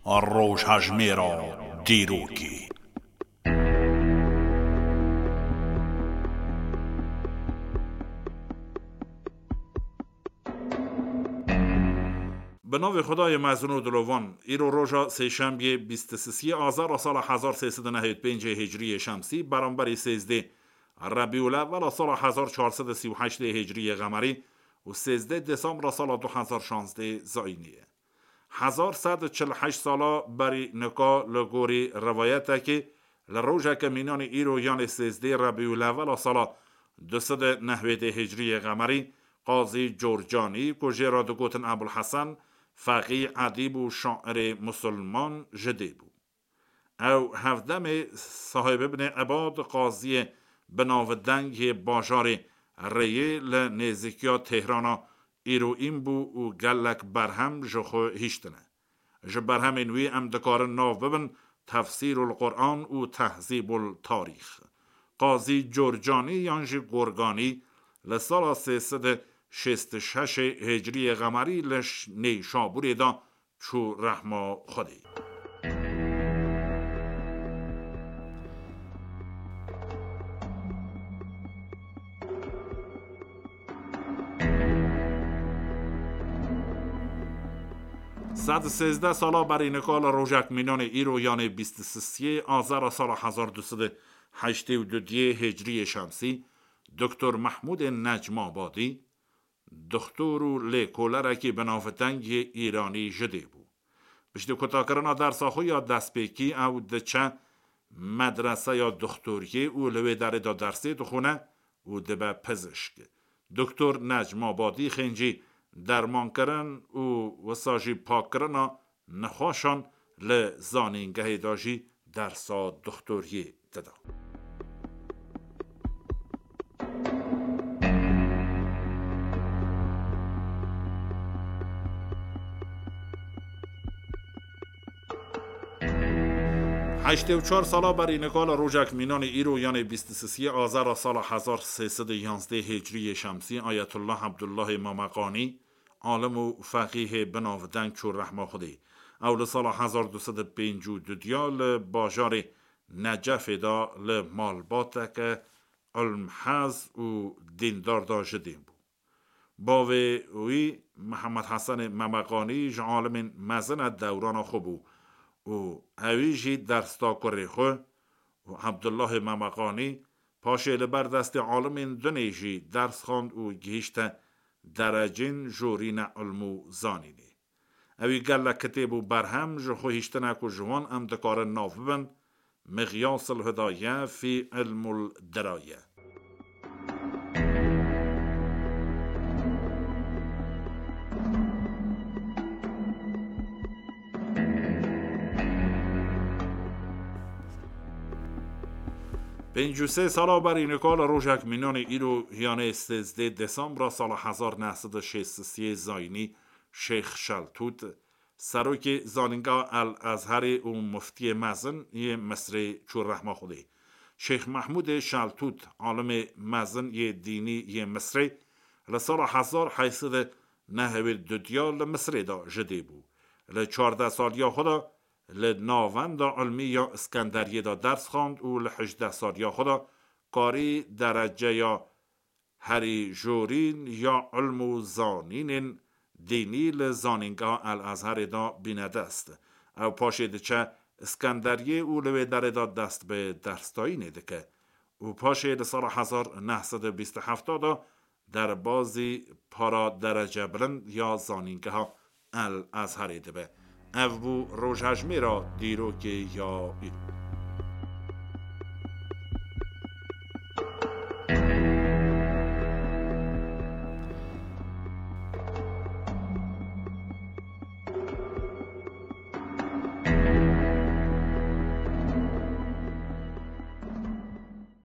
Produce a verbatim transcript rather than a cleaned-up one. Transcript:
Rojhejmêra dîrokê. Bi navê Xwedayê mezin û dilovan, îro roja sêşembiyê bîst û sisiyê Azara sala hezar sê sed û nehewî pêncê Hicriyê Şemsî, beramberî sêzdê Rebîul Ewwela sala hezar çar sed û sî û heştê Hicriyê Xemerî û sêzdê Desembra sala du hezar şazdê Zayînî ye. Hezar sed û çil û heşt sala berî nika li gorî rivayetekê li rojeke mînanê îro yanê sêzdê Rebîul Ewwela sala du sed û nehwêdê Hicriyê Xemerî Qazî Corcanî ku jê re digotin Ebul Hesen, feqî, edîb û şairê musulman ji dê bû. Ew hevdemê Sahib Ibnê Ebad qaziyê binavdeng yê bajarê Rêyê li nêzîkiya Têhrana îroîn bû û gelek berhem ji xwe hiştine. Ji berhemên wî em dikarin nav bibin Tefsîrul Quran û Tehzîbul Tarîx. Qazî Corcanî yan jî Gorganî li sala sê sed û şêst û şeş Hicriyê Xemerî li Ş-, Nêşabûrê de çû rehma Xwedê. Sed û sêzdeh sala berî nika li rojek mînanê îro yanê bîst û sisiyê Azara sala hezar du sed û heştê û dudiyê Hicriyê Şemsî, Doktor Mehmûdê Necmabadî, Doktor û lêkolerekî binavdeng yê Îranî ji dê bû. Piştî kutakirina dersa xwe ya destpêkî ew diçe medreseya doktoriyê û li wê derê de dersê dixwine û dibe pizişk. Doktor Necmabadî xêncî dermankirin û wisa jî pakkirina nexweşan li zanîngehê de jî dersa doktoriyê dida. Heştê û çar sala berî nika li rojek mînanê îro yanê bîst û sisiyê Azara sala hezar sê sed û yanzdeh Hicriyê Şemsî Ayetullah Abdullahê Mameqanî, alim û feqîhê binavdeng çû rehma Xwedê. Ew li sala hezar du sed û pêncî û du diya li bajarê Necefê de li malbateke ilmhez û dîndar de ji dê bû. Bavê wî Mihemed Hesenê Memeqanî ji alimên mezin e dewrana xwe bû û ewî jî ders da kurê xwe û Ebdullahê Memeqanî paşê li ber destê alimên dinê jî ders xwend û gihîşte derecên jorîne ilm û zanînê. Ewî gelek kitêb û berhem ji xwe hiştine ku ji wan em dikarin nav bibin, Miqyas el-Hidaye fî Ilmul Diraye. Pêncî û sê sala berî nika li rojek mînanê îro, yanê sêzdeh Desembra sala hezar neh sed û şêst û sê Zayînî, Şêx Şeltût, serokê Zanîngeha El Ezherê û muftiyê mezin yê Misrê çû rehma Xwedê. Şêx Mehmûdê Şeltût, alimê mezin yê dînî yê Misrê, li sala hezar heyt sed û nehewî dudiya li Misrê de ji dê bû. Li çardeh saliya xwe de li Navenda Ilmî ya Iskenderiyê de ders xwend û li hejdeh saliya xwe de karî dereceya herî jorîn ya ilm û zanînên dînî li Zanîngeha El Ezherê de bîne dest. Ew paşê diçe Iskenderiyê û li wê derê de dest bi dersdayînê dike û paşê li sala hezar neh sed û bîst û heft de derbazî para derece bilind ya Zanîngeha El Ezherê dibe. Ev bû rojhejmêra dîrokê ya îro.